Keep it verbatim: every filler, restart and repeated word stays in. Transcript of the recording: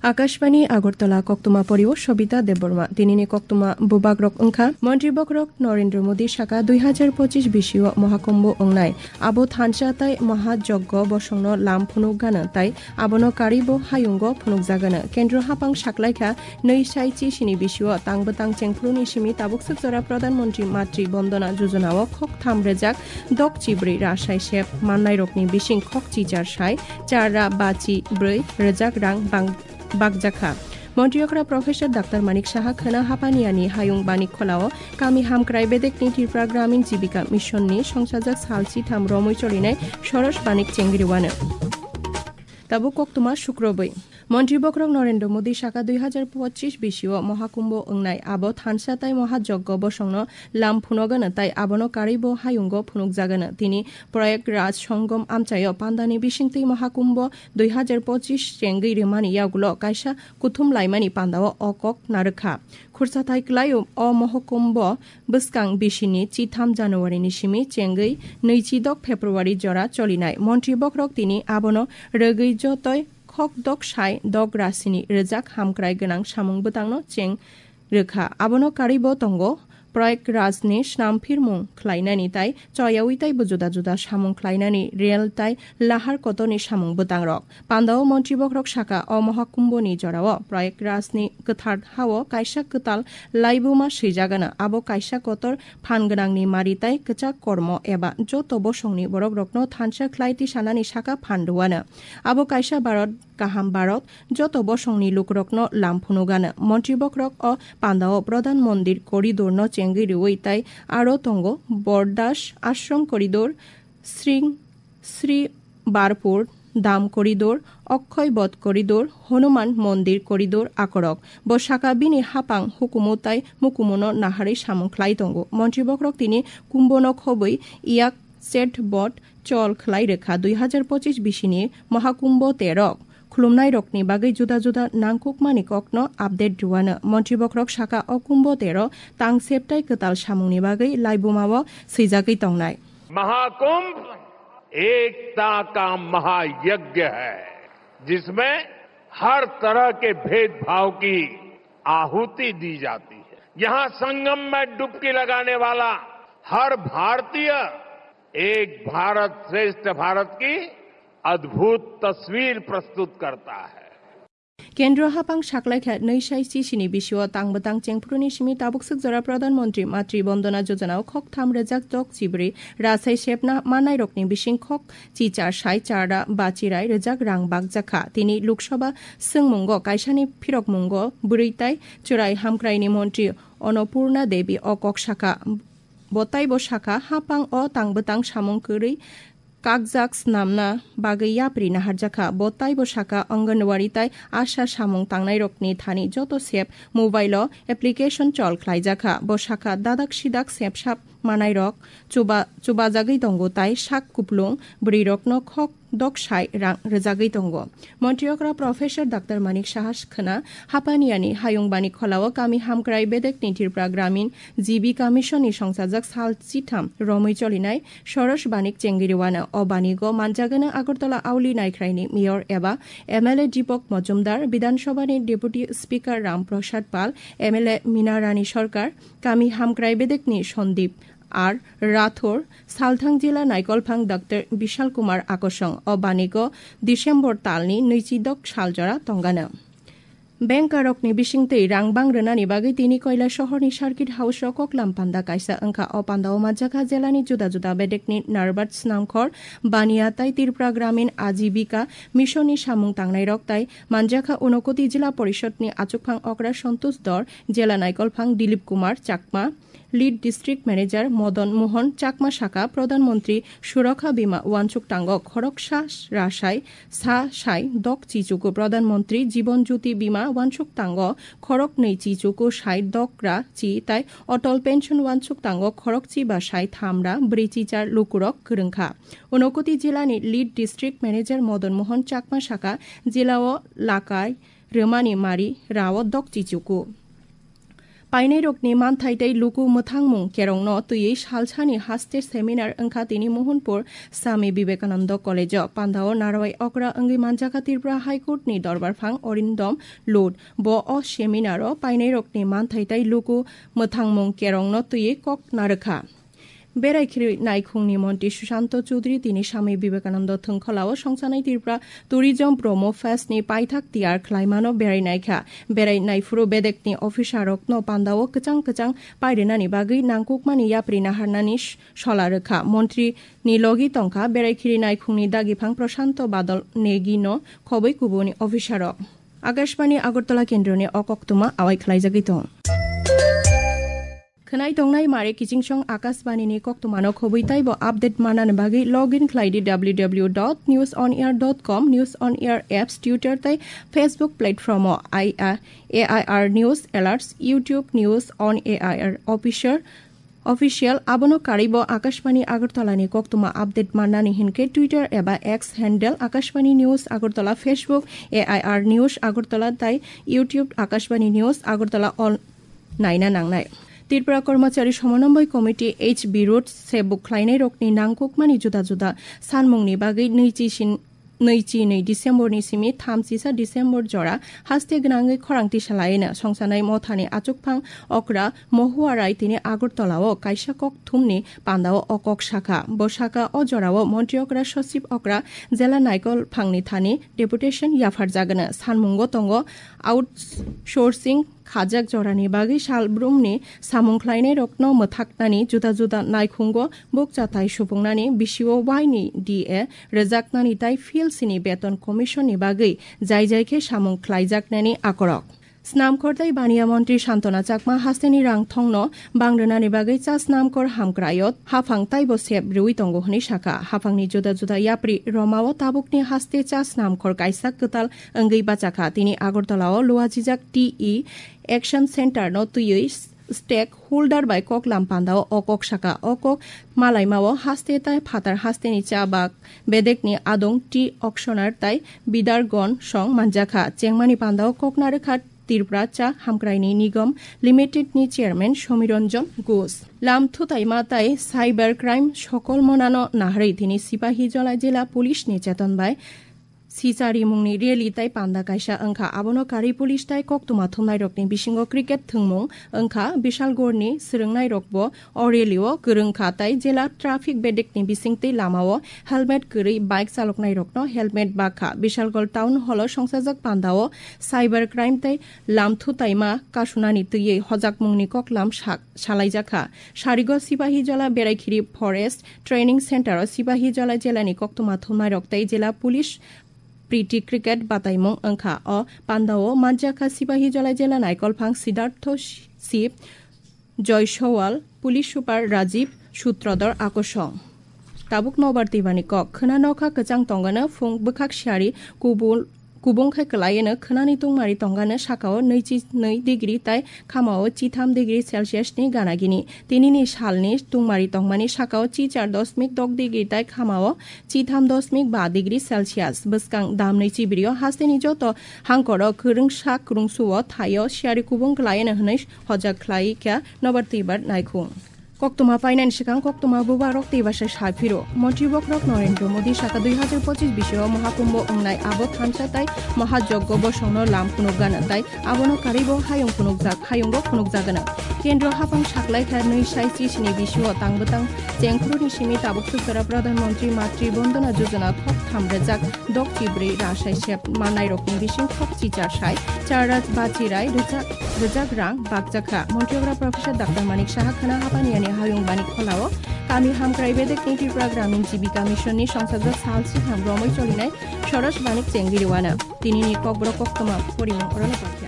Akashbani Agartala, koktwma porio Sobita Debbarma. Tinini koktwma bubagrok wngkha: Montri bokhorok Narendra Modi saka dui hajar pochish bisio Mohakumbho wngnai, abo thansa tai Mahajoggo bosongno lam phunuk gana tai abono karwibo hayungo phunukjagana. Kendro hapang saklaikha nwi sai chi sini bisio tang bwtang chengphuruni simi tabukswk jora Pradhan Mantri Matri Bondona Jojonao khok tham rwjak dok chibrwi ra sai sep mannairokni bising khok chi char sai char ra ba chi brwi rwjak rang bang bakjakha. Montri okra Professor Doctor Manik Saha khwna Hapaniani hayung Banik Kholao kami hamkrai bedekni Tripura Gramin Jibika Mission ni songsajak sal chitham romwi cholinai soros banik chengriwano. Tabuk koktwma sukrobwi. Montri bokhorok Narendra Modi saka dui hajar pochish bisio Mohakumbho wngnai, abo thansa tai Mahajoggo bosongno lam phunogano tai abono karwibo hayungo phunukjagano. Tini Prayagraj Songom amchaio pandani bisingtwi Mohakumbho dui hajar pochish chengwi rwmani yagulo kaisa kuthum laimani pandao o kok narwkha. Khursathai kwlai o Mohakumbho bwskang bisini chitham January ni simi chengwi nwichidok February jora cholinai. Montri bokhorok tini abono rwgwi jotoi khok dok sai dok rasini rwjak hamkrai gwnang samung bwtangno cheng rwkha. Abono karwibo tongo Prayagraj ni snam phirmung khlainani tai choyawi taibo juda juda samung khlainani rel tai lahar kotorni samung bwtangrok. Pandao Montri bokhorok saka o Mohakumbho ni jorao Prayagraj ni kwthar hao kaisa kwtal laibuma swijagano. Abo kaisa kotor phan gwnangni mari tai kwchak kormo eba joto bosongni borokrokno thansa khlai tisanani saka phan rwano. Abo kaisa Bharat kaham Bharat joto bosongni lukurokno lam phunugano. Montri bokhorok o pandao Pradhan Mandir Corridor no chengwi rwui tai aro tongo Bordas Ashram Corridor, Sring Sri Barpur Dham Corridor, Okhoy Bodh Corridor, Hanuman Mandir Corridor akorok. Bo saka bini hapang hukumu tai mukumuno naharwi samung khlai tongo. Montri bokhorok tini Kumbhono khobwi Yak Chet Bodh chol khlai rwkha dui hajar pochish bisini Mohakumbho terok khulumnairokni bagwi juda juda nangkukmani kokno update rwano. Montri bokhorok saka o Kumbho tero tang septai kwtal samungni bagwi laibumao swijagwi tongnai. Mahakumbh एकता का महायज्ञ है, जिसमें हर तरह के भेदभाव की आहुति दी जाती है। यहाँ संगम में डुबकी लगाने वाला हर भारतीय एक भारत श्रेष्ठ भारत की अद्भुत तस्वीर प्रस्तुत करता है। Kendro hapang saklaikha nwi sai chi sini bisio tang bwtang chengphuruni simi tabukswk jora Pradhan Mantri Matri Bondona Jojonao khok tham rwjak dok chibrwi rasai sepna mannairokni bising khok chi char sai char ra ba chirai rwjak rang bakjakha. Tini Lok Sabha swngmungo kaisani phirokmungo bwrwi tai chwrai hamkraini montri Annapurna Devi o kok sakha. Bo taibo sakha, hapang o tang bwtang samung kwrwi kakjak snamna bagwi yapri naharjakha. Bo taibo sakha, Anganwadi tai ASHA samung tangnairokni thani joto sep mobile o application chol khlaijakha. Bo sakha, dadak sidak sep sap manairok chuba-, chubajagwi tongo tai sak kuplung bwrwirokno khok dok sai rang rwjagwi tongo. Montri okra Professor Doctor Manik Saha khwna Hapaniani hayung Banik Kholao kami hamkrai bedekni Tripura Gramin Jibika Mission ni songsajak sal chitham romwi cholinai soros banik chengiriwano. O banigo manjagano Agartala Auli Naikhraini Mayor eba M L A Deepak Majumdar, Bidhan Sabhani Deputy Speaker Ram Prasad Pal, M L A Meena Rani Sarkar, kami hamkrai bedekni Sandip R Rathore, Salthang Jila Naikolphang Doctor Bishal Kumar Akosong. O banigo December talni nwichidok saljora tongano. Bankerokni bisingtwi rang bang rwnani bagwi tini Koilashahar ni Circuit House o koklam panda kaisa wngkha. O panda o manjakha jelani juda juda bedekni Narbat Snamkhor, Bania tai Tripura Gramin Ajibika Mission ni samung tangnairok tai manjakha Unakoti Jila Porishod ni achukphang okra Santosh Dor, Jela Naikolphang Dilip Kumar Chakma, Lead District Manager Madan Mohan Chakma saka, Pradhan Mantri Surakha Bima uansuk tango khoroksa rasai sa sai dok chichuku, Pradhan Mantri Jiban Jyoti Bima uansuk tango khoroknwi chichuku sai dok ra chi tai Atal Pension uansuk tango khorokchi ba sai tham ra bwrwi chichar lukurok kwrwngkha. Unakoti jilani Lead District Manager Madan Mohan Chakma saka, jilao lakai rwmani mari rao dok chichuku. Painairokni manthai tei luku mwthangmung kerongno twiwi salsani haste seminar wngkha tini Mohanpur Swami Vivekananda College-o. Pandao narwai okra wngwi manjakha Tripura High Court-ni dorbarphang Arindam Lod. Bo o seminar-o painairokni manthai tei luku mwthangmung kerongno twiwi kok narwkha. Berai khiri naikhungni montri Sushanta Chudri tini Swami Vivekananda thwngkhwlao songsanai Tripura Tourism Promo Fest ni paithak tiyar khlaimano berai naikha. Berai naiphuru bedekni officer rokno pandao kwchang kwchang pairinani bagwi nangkukmani yapri naharnani s-, sola rwkha. Montri ni logi tongkha berai khiri naikhungni dagiphang Prashanto Badal Negi no khobwi kubuni officer rok. Akashbani Agartala kendroni o koktwma awai khlaijagwi tong. Khwnai tongnai mare kichingsong Akashbani ni koktwmano khobwi taibo update manani bagwi log in khlai di W W W dot news on air dot com, News on Air apps, Twitter tei Facebook platform o, I, A I R News Alerts, YouTube News on A I R Official, Official, abono karwibo Akashbani Agartala ni koktwma update mannani hinkhe Twitter eba X handle Akashbani News Agartala, Facebook A I R News Agartala tei YouTube Akashbani News Agartala all naina nangnai. Tripura Kormachari Somononboi Committee H B Road sebuk khlainairokni nangkukmani juda juda sanmungni bagwi nwichi sin-, nwichi nwi December ni simi thamchisa December jora haste gwnangwi khorang tisa laino songsanai mothani achukphang okra Mohuarai tini Agartala-o kaisa kok thumni pandao o kok sakha. Bo sakha o jorao montri okra, sochib okra, jela naikol phangni thani deputation yapharjagano. Sanmungo tongo outsourcing khajak jorani bagwi salbrumni samung khlainairokno mwthaknani juda juda naikhungo bukchathai supungnani bisio waini D A rwjaknani tei P L C ni beton commission ni bagwi jai jai khe samung khlaijaknani akorok. Snamkhor tei baniya montri Santona Chakma hasteni rang thongno bang rwnani bagwi cha snamkhor hamkraio haphang taibo sep rwui tongo hwnwi sakha. Haphangni juda juda yapri romao tabukni haste cha snamkhor kaisa kwtal wngwi bachakha. Tini Agartala-o luajijak T E Action Center no twiwi stakeholder bai koklam pandao o kok sakha. O kok malaimao haste tei phatar hasteni cha bak bedekni adong tea auctioneer tei bidargon song manjakha. Chengmani pandao kok narwkha Tripura Cha Hamkraini Nigam Limited ni chairman Somiranjan Ghosh. Lam thutaima tei cyber crime sokol monano naharwi tini Sipahijola jila police ni cheton bai Sichari mungni rally tei panda kaisa wngkha. Abono karwi police tei koktwma thumnairokni bisingo cricket thwngmung wngkha. Bishalgorni swrwngnairokbo o rally-o kwrwngkha tei jela traffic bedekni bisingtwi lamao helmet kwrwi bike chaloknairokno helmet bakha. Bishalgor Town Hall-o songsajak pandao cyber crime tei lam thutaima kasunani twiwi hojakmungni koklam sak-, salaijakha. Sarigo Sipahijola Beraikhiri Forest Training Center-o Sipahijola jelani koktwma thumnairok tei jela police Pretty cricket bataimung wngkha. O pandao manjakha Sipahijola jela naikolphang Siddhartho Sip, Joy Sowal, Police Super Rajiv Sutradhar Akosong. Tabuk nobar twibani kok. Khwna nokha kwchang tongano phung bwkhak siyari kubul-, kubung khai kwlaieno khwnani tungmari tongano sakao nwichi nwi degree tai khamao chitham degree Celsius ni gana gini. Tinini salni tungmari tongmani sakao chichar dosmik dok degree tai khamao chitham dosmik ba degree Celsius. Bwskang damnwi chibrio hasteni joto hangkoro kwrwngsa kwrwngsuo thaio siyari kubung khlaino hwnwi hojak khlai kha nobar twibar naikhung. Koktwma painani swkang koktwma bubarok tei basa saphiro. Montri bokhorok Narendra Modi saka dui hazar pochis bisio Mahakumbho wngnai abo thansa tai Mahajoggo bosongno lam phunukgano tai abono karwibo hayung phunukjak, hayungo phunukjagano. Kendro haphang saklaikha nwi sai chisini bisio tangbwtang chengkhoroni simi tabuk swkara Pradhan Mantri Matri Bondona Jojona thok thamrwjak dok chibrwi rasai sep mannairokni bising thok chichar sai char raj bachirai rwjak, rwjak rang bakjakha. Montri okra Professor Doctor Manik Saha khwna haphani yani hayung bani kholao kami hamkrai bedekni Tripura Gramin Jibika Mission ni songsajak sal swkang romwi cholinai Soros Manik Chengiriwana. Tinini kokborok koktwma porimung orono bakya.